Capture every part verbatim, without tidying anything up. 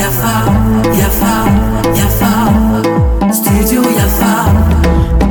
Yafa, Yafa, Yafa, Studio Yafa.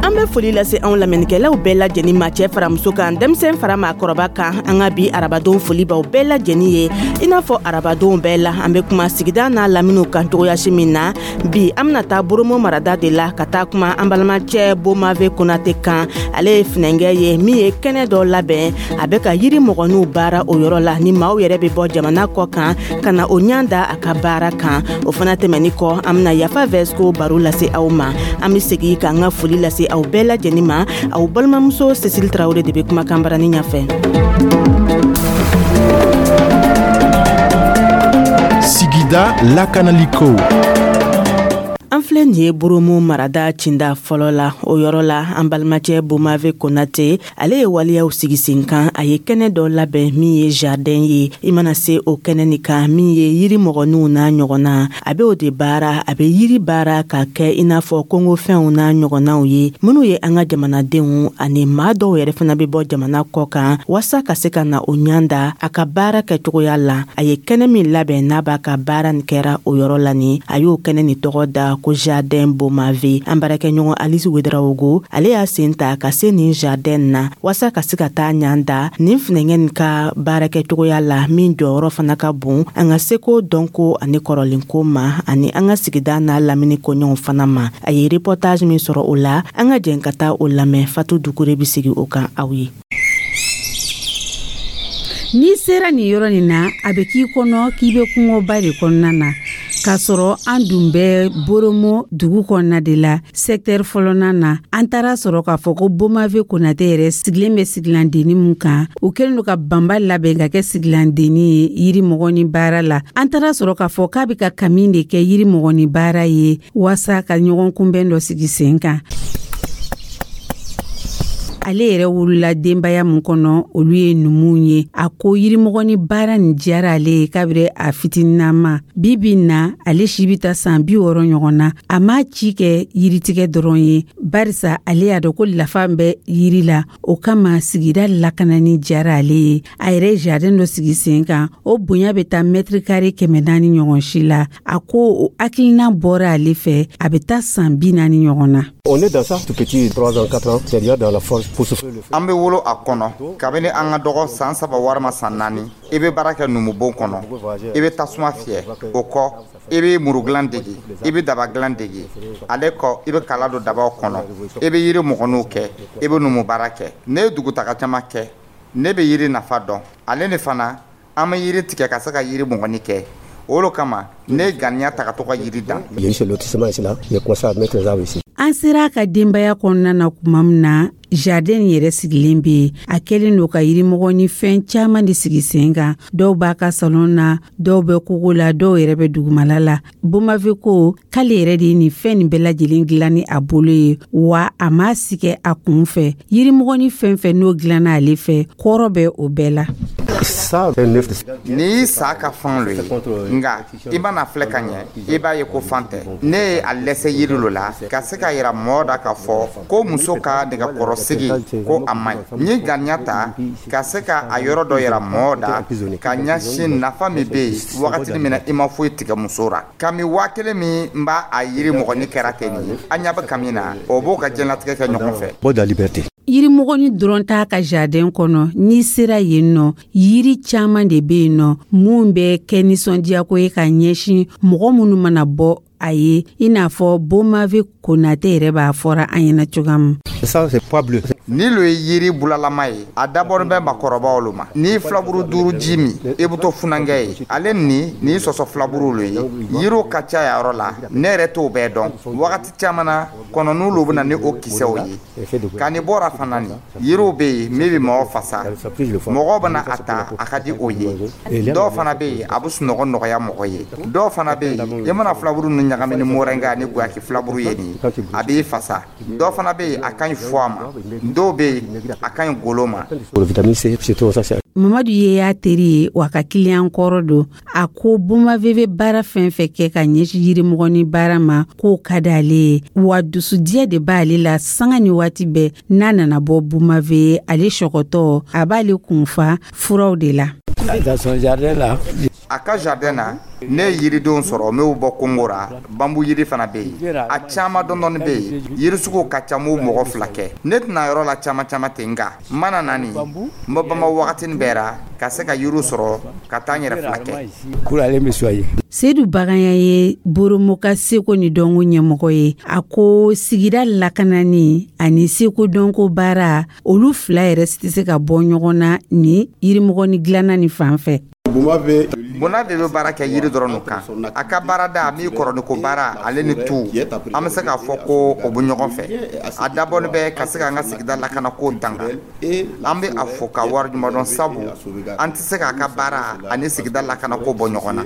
An bɛ foli lase anw lamɛnnikɛlaw bɛɛ lajɛlen ma, cɛ fara muso kan, denmisɛn fara maakɔrɔba kan. An ka bi arabadon foli b'aw bɛɛ lajɛlen ye. I n'a fɔ arabadonw bɛɛ la, an bɛ kuma sigida n'a laminiw kan cogoyasi min na, bi an bɛna taa Boromo marada de la ka taa kuma an balimacɛ Bomave Konate kan. Ale ye finɛnkɛ ye min ye kɛnɛ dɔ labɛn, a bɛ ka yiri mɔgɔninw baara o yɔrɔ la, ni maaw yɛrɛ bɛ bɔ jamana kɔ kan ka na o ɲan da a ka baara kan. O fana tɛmɛni kɔ, an bɛna Yafa Vɛsiko baro lase aw ma. An bɛ segin k'an ka foli lase aw bɛɛ lajɛlen ma. Aw balimamuso Cécile Tarawele de bɛ kumakan barani ɲɛfɛ. Sigida lakanaliko. An filɛ nin ye Boromo marada cinda fɔlɔ la. O yɔrɔ la, an balimacɛ Bomave Konate, ale ye waleyaw sigi sen kan. A ye kɛnɛ dɔ labɛn min ye jardin ye. I mana se o kɛnɛ nin kan, min ye yiri mɔgɔninw n'a ɲɔgɔnna, a bɛ o de baara. A bɛ yiri baara ka kɛ i n'a fɔ kongofɛnw n'a ɲɔgɔnnaw ye, minnu ye an ka jamanadenw ani maa dɔw yɛrɛ fana bɛ bɔ jamana kɔ kan waasa ka se ka na o ɲan da a ka baara kɛcogoya la. A ye kɛnɛ min labɛn n'a b'a ka baara nin kɛra o yɔrɔ la nin, a y'o kɛnɛ nin tɔgɔ da ko Jardin Bomave. An baarakɛɲɔgɔn Alice Wedarawogo, ale y'a sen ta ka se nin jardin na waasa ka se ka taa ɲan da nin finɛngɛ nin ka baarakɛcogoya la, min jɔyɔrɔ fana ka bon an ka seko, dɔnko ani kɔrɔlenko ma, ani an ka sigida n'a lamini koɲɔgɔnw fana ma. A ye reportage min sɔrɔ o la, an ka jɛn ka taa o lamɛn. Fatu Dukure bɛ sigi o kan aw ye. N'i sera nin yɔrɔ nin na, a bɛ k'i kɔnɔ k'i bɛ kungoba de kɔnɔna na, k'a sɔrɔ an dun bɛ Boromo dugu kɔnɔna de la, secteur fɔlɔnan na. An taara sɔrɔ k'a fɔ ko Bomave Konate yɛrɛ sigilen bɛ sigilandenni mun kan, u kɛlen don ka banba labɛn ka kɛ sigilandenni ye yiri mɔgɔni baara la. An taara sɔrɔ k'a fɔ k'a bɛ ka kami de kɛ yiri mɔgɔni baara ye waasa ka ɲɔgɔn kunbɛn dɔ sigi sen kan. Ale yɛrɛ wolola denbaya mun kɔnɔ, olu ye numuw ye. A ko yirimɔgɔni baara nin diyara ale ye kabiri a fitininama. Bi bi na, ale si bɛ taa san bi wɔɔrɔ ɲɔgɔn na. A m'a ci kɛ yiritigɛ dɔrɔn ye, barisa ale y'a dɔn ko lafa bɛ yiri la. O kama sigida lakanani diyara ale ye. A yɛrɛ ye jardin dɔ sigi sen kan, o bonya bɛ taa mètre carré kɛmɛ naani ɲɔgɔn si la. A ko o hakilina bɔra ale fɛ, a bɛ taa san bi naani ɲɔgɔn na. On est dans ça tout petit, trois ans, quatre ans, c'est-à-dire dans la forge pour souffler le feu. An bɛ wolo a kɔnɔ kabini an ka dɔgɔ san saba walima san naani. I bɛ baara kɛ numubon kɔnɔ, i bɛ tasuma fiyɛ, o kɔ i bɛ muru dilan dege, i bɛ daba dilan dege, ale kɔ i bɛ kala don dabaw kɔnɔ, i bɛ yiri mɔgɔninw kɛ, i bɛ numu baara kɛ. Ne ye dugutaga caman kɛ, ne bɛ yiri nafa dɔn. Ale ni fana, an bɛ yiri tigɛ ka se ka yiri mɔgɔni kɛ. O de kama ne ye ganiya ta ka to ka yiri dan. Il y a eu ce lotissement ici là, j'ai commencé à mettre les arbres ici. An sera a ka denbaya kɔnɔna na tuma min na, jardin yɛrɛ sigilen bɛ yen. A kɛlen don ka yirimɔgɔ ni fɛn caman de sigi sen kan. Dɔw b'a ka salon na, dɔw bɛ kogo la, dɔw yɛrɛ bɛ dugumala la. Bomave ko k'ale yɛrɛ de ye nin fɛn nin bɛɛ lajɛlen dilan ni a bolo ye, wa a m'a si kɛ a kun fɛ. Yirimɔgɔ ni fɛn fɛn n'o dilanna ale fɛ, kɔrɔ bɛ o bɛɛ la. Ça, c'est neuf. N'i y'i sa ka fan lo ye, nka i mana filɛ ka ɲɛ, i b'a ye ko fan tɛ. Ne ye a lɛsɛ yiri lo la ka se ka yira mɔgɔ da k'a fɔ ko muso ka nɛgɛkɔrɔsigi ko a man ɲi. N ye ganiya ta ka se ka a yɔrɔ dɔ yira mɔgɔ da ka ɲɛsin nafa min bɛ yen wagati min na i ma foyi tigɛ muso ra. Kami waa kelen min n b'a a yiri mɔgɔni kɛra ten nin ye, an ɲɛ bɛ kami na, o b'o ka diɲɛlatigɛ kɛ ɲɔgɔn fɛ. Bon, de la liberté. Yirimɔgɔni dɔrɔn t'a ka jardin kɔnɔ. N'i sera yen nɔ, yiri caman de bɛ yen nɔ mun bɛ kɛ nisɔndiyako ye ka ɲɛsin mɔgɔ minnu mana bɔ a ye, i n'a fɔ Bomave Konate yɛrɛ b'a fɔra an ɲɛna cogoya min. Ça, c'est pois bleu. Ni lo ye yiri bulalama ye, a dabɔlen bɛ makɔrɔbaw lo ma. N'i ye filaburu duuru ji min, i bɛ to funankɛ ye. Ale ni nin sɔsɔ filaburu lo ye. Yiriw ka ca yɔrɔ la, ne yɛrɛ t'o bɛɛ dɔn. Wagati caman na, kɔnɔniw lo bɛ na ni o kisɛw ye. Ka ni bɔra fana nin, yiriw bɛ yen min bɛ mɔgɔ fasa, mɔgɔw bɛna a ta, a ka di o ye. Dɔw fana bɛ yen, a bɛ sunɔgɔ nɔgɔya mɔgɔ ye. Dɔw fana bɛ yen, i mana filaburu ninnu ɲagami ni moringa ni guyaki filaburu ye nin a b'i fasa. Dɔ fana bɛ yen, a ka ɲi foie ma. Dɔw bɛ yen, a ka ɲi golo ma. Mamadu ye y'a teri ye, wa ka kiliyan kɔrɔ don. A ko Bomave bɛ baara fɛn fɛn kɛ ka ɲɛsin yirimɔgɔni baara ma, k'o ka di ale ye, wa dusudiya de b'ale la sanga ni waati bɛɛ. N'a nana bɔ Bomave, ale sɔgɔtɔ a b'ale kunfa furaw de la. A ka jardin na, ne ye yiridenw sɔrɔ m'o bɔ Kongo ra. Bambu yiri fana bɛ yen, a caman dɔndɔni bɛ yen. Yiri suguw ka ca, m'o mɔgɔ fila kɛ. Ne tɛna yɔrɔ la caman caman ten, nka n mana na nin, n bɛ bama wagatinin bɛɛ ra ka se ka yiriw sɔrɔ ka taa n yɛrɛ fila kɛ. Sedu Baganya ye Boromo ka seko ni dɔnko ɲɛmɔgɔ ye. A ko sigida lakanani ani seko dɔnko baara, olu fila yɛrɛ tɛ se ka bɔ ɲɔgɔn na ni yirimɔgɔni dilanna ni fan fɛ. Bonave bɛ baara kɛ yiri dɔrɔn kan. A ka baarada min kɔrɔniko baara, ale ni tu, an bɛ se k'a fɔ ko o bɛ ɲɔgɔn fɛ. A dabɔlen bɛ ka se k'an ka sigida lakanako tanga. An bɛ a fo ka wariɲuman dɔn, sabu an tɛ se k'a ka baara ani sigida lakanako bɔ ɲɔgɔn na.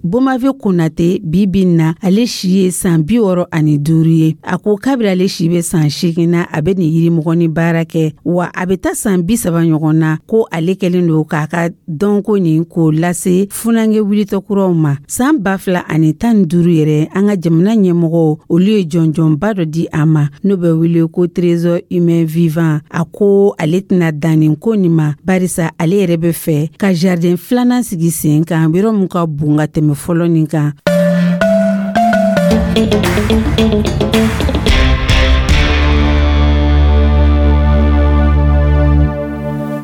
Bomave Konate, bi bi na, ale si ye san bi wɔɔrɔ ani duuru ye. A ko kabiri ale si bɛ san seegin na, a bɛ nin yirimɔgɔni baara kɛ, wa a bɛ taa san bi saba ɲɔgɔn na ko ale kɛlen don k'a ka dɔnko nin k'o lase funankɛ wulitɔ kuraw ma. San ba fila ani tan ni duuru yɛrɛ, an ka jamana ɲɛmɔgɔw, olu ye jɔnjɔnba dɔ di a ma, n'o bɛ wele ko trésor humain vivant. A ko ale tɛna dan nin ko nin ma, barisa ale yɛrɛ bɛ fɛ ka jardin filanan sigi sen kan, yɔrɔ min ka bon ka tɛmɛ fɔlɔ nin kan.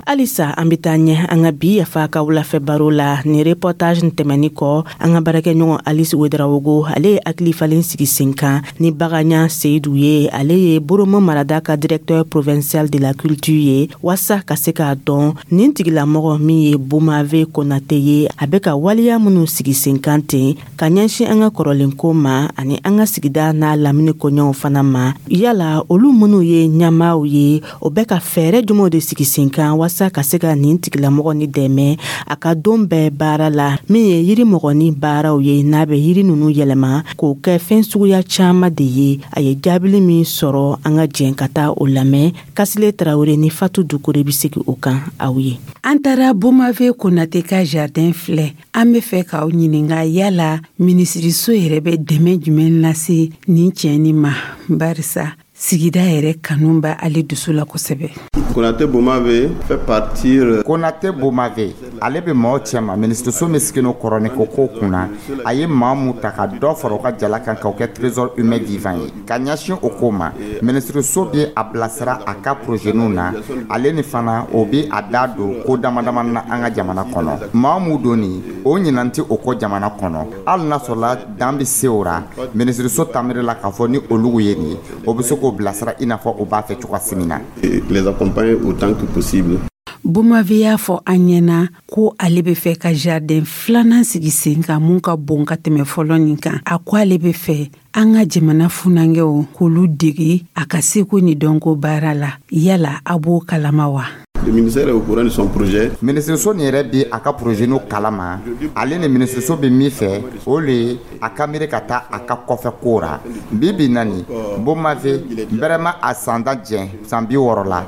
Halisa an bɛ taa ɲɛ an ka bi Yafa ka wulafɛ baro la. Ni reportage tɛmɛni kɔ, an ka baarakɛɲɔgɔn Alice Ouedraogo, ale ye hakili falen sigi sen kan ni Baganya Seyidu ye. Ale ye Boromo marada ka directeur provincial de la culture ye, waasa ka se k'a dɔn nin tigilamɔgɔ min ye Bomave Konate ye, a bɛ ka waleya minnu sigi sen kan ten ka ɲɛsin an ka kɔrɔlenko ma ani an ka sigida n'a lamini koɲɛw fana ma. Yala olu minnu ye ɲɛmaaw ye, o bɛ ka fɛɛrɛ jumɛnw de sigi sen kan waasa ka se ka nin tigilamɔgɔ ni dɛmɛ a ka don bɛɛ baara la, min ye yirimɔgɔni baaraw ye, n'a bɛ yiri ninnu yɛlɛma k'o kɛ fɛn suguya caman de ye. A ye jaabili min sɔrɔ, an ka jɛn ka taa o lamɛn. Kasile Tarawele ni Fatu Dukure bɛ segin o kan aw ye. An taara Bomave Konate ka jardin filɛ. An bɛ fɛ k'aw ɲininka, yala minisiriso yɛrɛ bɛ dɛmɛ jumɛn lase nin cɛ ma, barisa sigida yɛrɛ kanu b'a ale dusu la kosɛbɛ. Konate Bomave fait partir. Konate Bomave, ale bɛ maaw cɛma minisiriso min sigilen kɔrɔni ko ko kunna. A ye maa mun ta ka dɔ fara u ka jala kan k'o kɛ trésor humain vivant ye ka ɲɛsin o ko ma, minisiriso bɛ a bilasira a ka projet na. Ale ni fana, o bɛ a da don ko dama dama na an ka jamana kɔnɔ. Maa mun don nin, o ɲinan tɛ o kɔ jamana kɔnɔ. Hali n'a sɔrɔla dan bɛ se o ra, minisiriso tamiri la k'a fɔ ni olu ye nin ye, o bɛ se k'o bilasira i n'a fɔ o b'a fɛ cogoya min na. Les accompagner autant que possible. Bomave y'a fɔ an ɲɛna ko ale bɛ fɛ ka jardin filanan sigi sen kan, mun ka bon ka tɛmɛ fɔlɔ nin kan. A ko ale bɛ fɛ an ka jamana funankɛw k'olu dege a ka seko ni dɔnko baara la. Yala a b'o kalama wa? Le ministère est au courant de son projet. Minisiriso nin yɛrɛ bi a ka projet n'o kalama. Ale ni minisiriso bɛ min fɛ, o le ye a ka miiri ka taa a ka kɔfɛ ko ra. Bi bi na nin, Bomave bɛrɛma a san da jɛn san bi wɔɔrɔ la.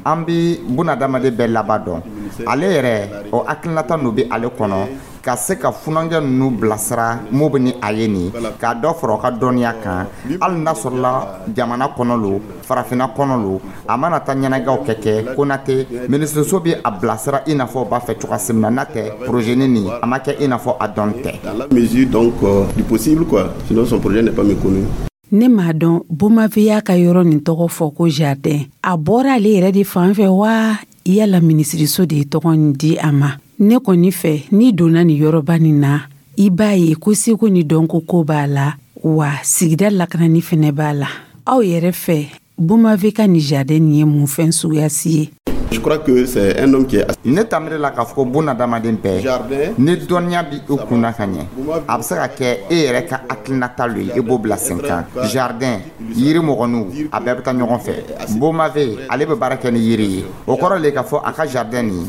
An bi bunadamaden bɛɛ laban dɔn. Ale yɛrɛ, o hakilinata n'o bɛ ale kɔnɔ ka se ka funankɛ ninnu bilasira mun bɛ ni a ye nin, k'a dɔ fara u ka dɔnniya kan. Hali n'a sɔrɔla jamana kɔnɔ lo, farafinna kɔnɔ lo, a mana taa ɲɛnajɛw kɛ kɛ Konate, minisiriso bɛ a bilasira i n'a fɔ o b'a fɛ cogoya min na. N'a tɛ projet nin, a ma kɛ i n'a fɔ a dɔn tɛ. Dans la mesure donc euh, du possible quoi. Sinon son projet n'est pas méconnu. Ne m'a dɔn, Bomave y'a ka yɔrɔ nin tɔgɔ fɔ ko jardin. A bɔra ale yɛrɛ de fan fɛ wa, yala minisiriso de ye tɔgɔ nin di a ma? Ne kɔni fɛ, n'i donna nin yɔrɔba nin na, i b'a ye ko seko ni dɔnko ko b'a la, wa sigida lakanani fɛnɛ b'a la. Aw yɛrɛ fɛ, Bomave ka nin jardin nin ye mun fɛn suguya si ye? Je crois que c'est un homme qui est Ne tamiri la k'a fɔ ko bunadamaden bɛɛ, ni dɔnniya bi i kunna ka ɲɛ, a bɛ se ka kɛ e yɛrɛ ka hakilinata lo ye, i b'o bila sen kan. Jardin, yiri mɔgɔninw, a bɛɛ bɛ taa ɲɔgɔn fɛ. Bomave, ale bɛ baara kɛ ni yiri ye. O kɔrɔ le k'a fɔ a ka jardin nin,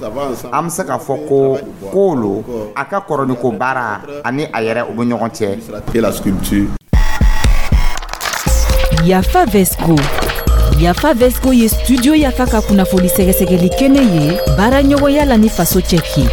an bɛ se k'a fɔ ko ko lo a ka kɔrɔniko baara ani a yɛrɛ, u bɛ ɲɔgɔn cɛ. Et la sculpture. Yafa Vesco. Yafa Vesco ye Studio Yafa ka kunnafoni sɛgɛsɛgɛli kɛnɛ ye, baara ɲɔgɔnya la ni Faso Cɛki.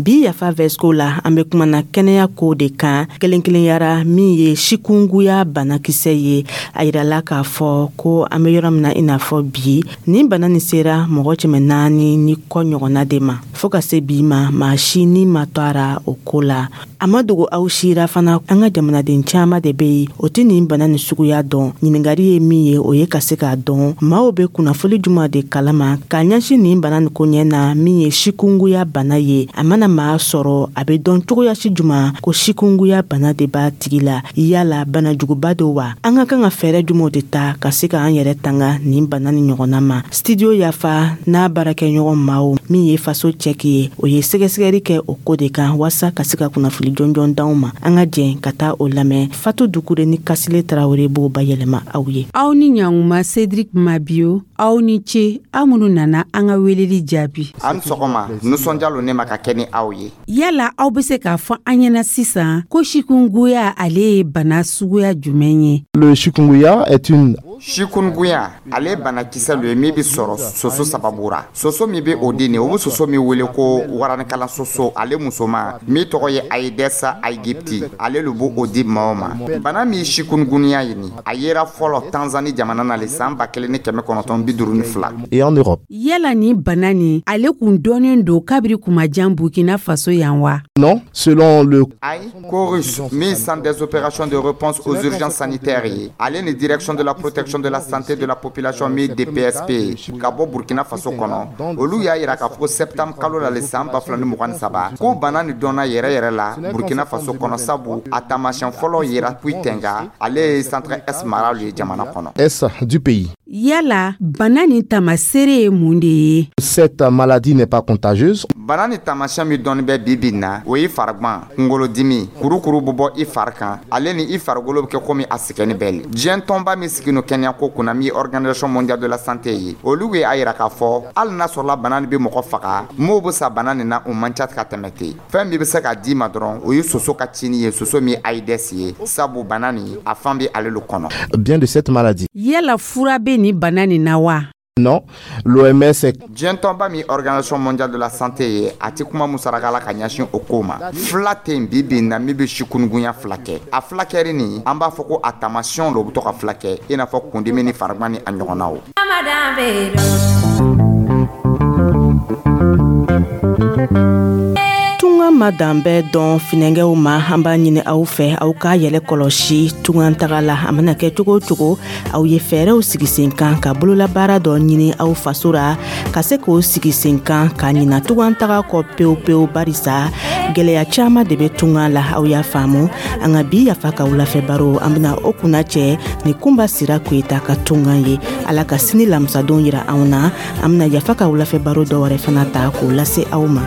Bi Yafa Vesco la, an be kumana kɛnɛya ko de kan, kelen kelenyara min ye sikunguya banakisɛ ye. A yirala k'a fɔ ko an be yɔrɔ min na, i n'a fɔ bi, nin bana nin sera mɔgɔ cɛmɛ naani ni kɔ ɲɔgɔnna de ma. Fɔɔ ka se bi ma, maa si ni ma to ara o ko la. A ma dogo aw sira fana, an ka jamanaden caaman de be yen, o tɛ nin bana nin suguya dɔn. Ɲiningari ye min ye, o ye ka se k'a dɔn maaw be kunnafoli juman de kalama k'a ɲɛsin nin bana nin koɲɛ na, min ye sikunguya bana ye. A mana maa sɔrɔ, a be dɔn cogoyasi juman ko sikunguya bana de b'a tigi la? Yala banajuguba do wa? An ka kan ka fɛɛrɛ jumanw de ta ka se k'an yɛrɛ tanga nin bana ni ɲɔgɔnna ma? Studio Yafa n'a baarakɛɲɔgɔn maaw, min ye Faso Cɛki ye, o ye sɛgɛsɛgɛli kɛ o ko de kan waasa ka se ka kunnafoli jɔnjɔn d'anw ma. An ka jɛn ka taa o lamɛn. Fatu Dukure ni Kasile Tarawele b'o bayɛlɛma aw ye. Aw ni ɲanguma, Cédric Mabio. Aw ni ce, aw minnu nana an ka weleli jaabi. An sɔgɔma, nisɔndiya lo ne ma ka kɛ ni aw ye. Yala aw be se k'a fɔ an ɲɛna sisan ko chikungunya, ale ye bana suguya jumɛn ye? Le chikungunya est une Chikungunya, ale ye banakisɛ lo ye min bɛ sɔrɔ soso sababu ra. Soso min bɛ o di nin, o bɛ soso min wele ko waranikala soso, ale musoman min tɔgɔ ye Aedes aegypti, ale lo b'o di maaw ma. Bana min chikungunya ye nin, a yera fɔlɔ Tanzanie jamana na le san ba kelen ni kɛmɛ kɔnɔntɔn bi duuru ni fila. Et en Europe. Yala ni bana nin, ale kun dɔnnen don kabiri kumajan Burkina Faso yan wa? Non, selon le Ayi, CORUS, min Centre des opérations de réponse aux urgences sanitaires ye, ale ni Direction de la protection de la santé de la population, min D P S P ye, ka bɔ Burkina Faso kɔnɔ, olu y'a yira k'a fɔ ko septembre kalo la le san ba fila ni mugan ni saba, ko bana nin dɔnna yɛrɛ yɛrɛ la Burkina Faso kɔnɔ, sabu a taamasiyɛn fɔlɔ yera Pouytenga, ale ye Centre Est mara ye jamana kɔnɔ. Est du pays. Yala bana nin tamaseere ye mun de ye? Cette maladie n'est pas contagieuse. Bana ni taamasiyɛn min dɔnni bɛ bi bi na, o ye farigwan, kunkolodimi, kurukuru bɛ bɔ i fari kan, ale ni i farikolo bɛ kɛ komi a sɛgɛnni bɛɛ le. Diɲɛ tɔnba min sigi no kɛnɛyako kunna, min ye Organisation mondiale de la santé ye, olu ye a yira k'a fɔ hali n'a sɔrɔla bana nin bɛ mɔgɔ faga, m'o bɛ sa bana nin na, o man ca ka tɛmɛ ten. Fɛn min bɛ se k'a d'i ma dɔrɔn, o ye soso ka cini ye, soso min ye Aedes ye, sabu bana nin a fan bɛ ale lo kɔnɔ. Bien de cette maladie. Yala fura bɛ nin bana nin na wa? Non, l'O M S est Diɲɛ tɔnba min Organisation mondiale de la santé ye, a ti kuma musaraka la ka ɲɛsin o ko ma. Fila tɛ yen bi bi in na min bɛ chikungunya fila kɛ. A fulakɛri nin, an b'a fɔ ko a taamasiyɛnw lo bɛ to ka fila kɛ, i n'a fɔ kundimi ni farigwan ni a ɲɔgɔnnaw. Tunga ma dan bɛɛ dɔn finɛgɛw ma. An b'a ɲini aw fɛ, aw k'a yɛlɛ kɔlɔsi tunga taga la. A mana kɛ cogo o cogo, aw ye fɛɛrɛw sigi sen kan ka bololabaara dɔ ɲini aw faso ra, ka se k'o sigi sen kan ka ɲina tunga taga kɔ pewu pewu, barisa gwɛlɛya caaman de bɛ tunga la. Aw y'a faamu. An ka bi Yafa ka wulafɛ baro, an bena o kunna cɛ ni Kunba Sira Koyita ka tunga ye. Ala ka sini lamisadon yira anw na. An bena Yafa ka wulafɛ baro dɔ wɛrɛ fana ta k'o lase aw ma.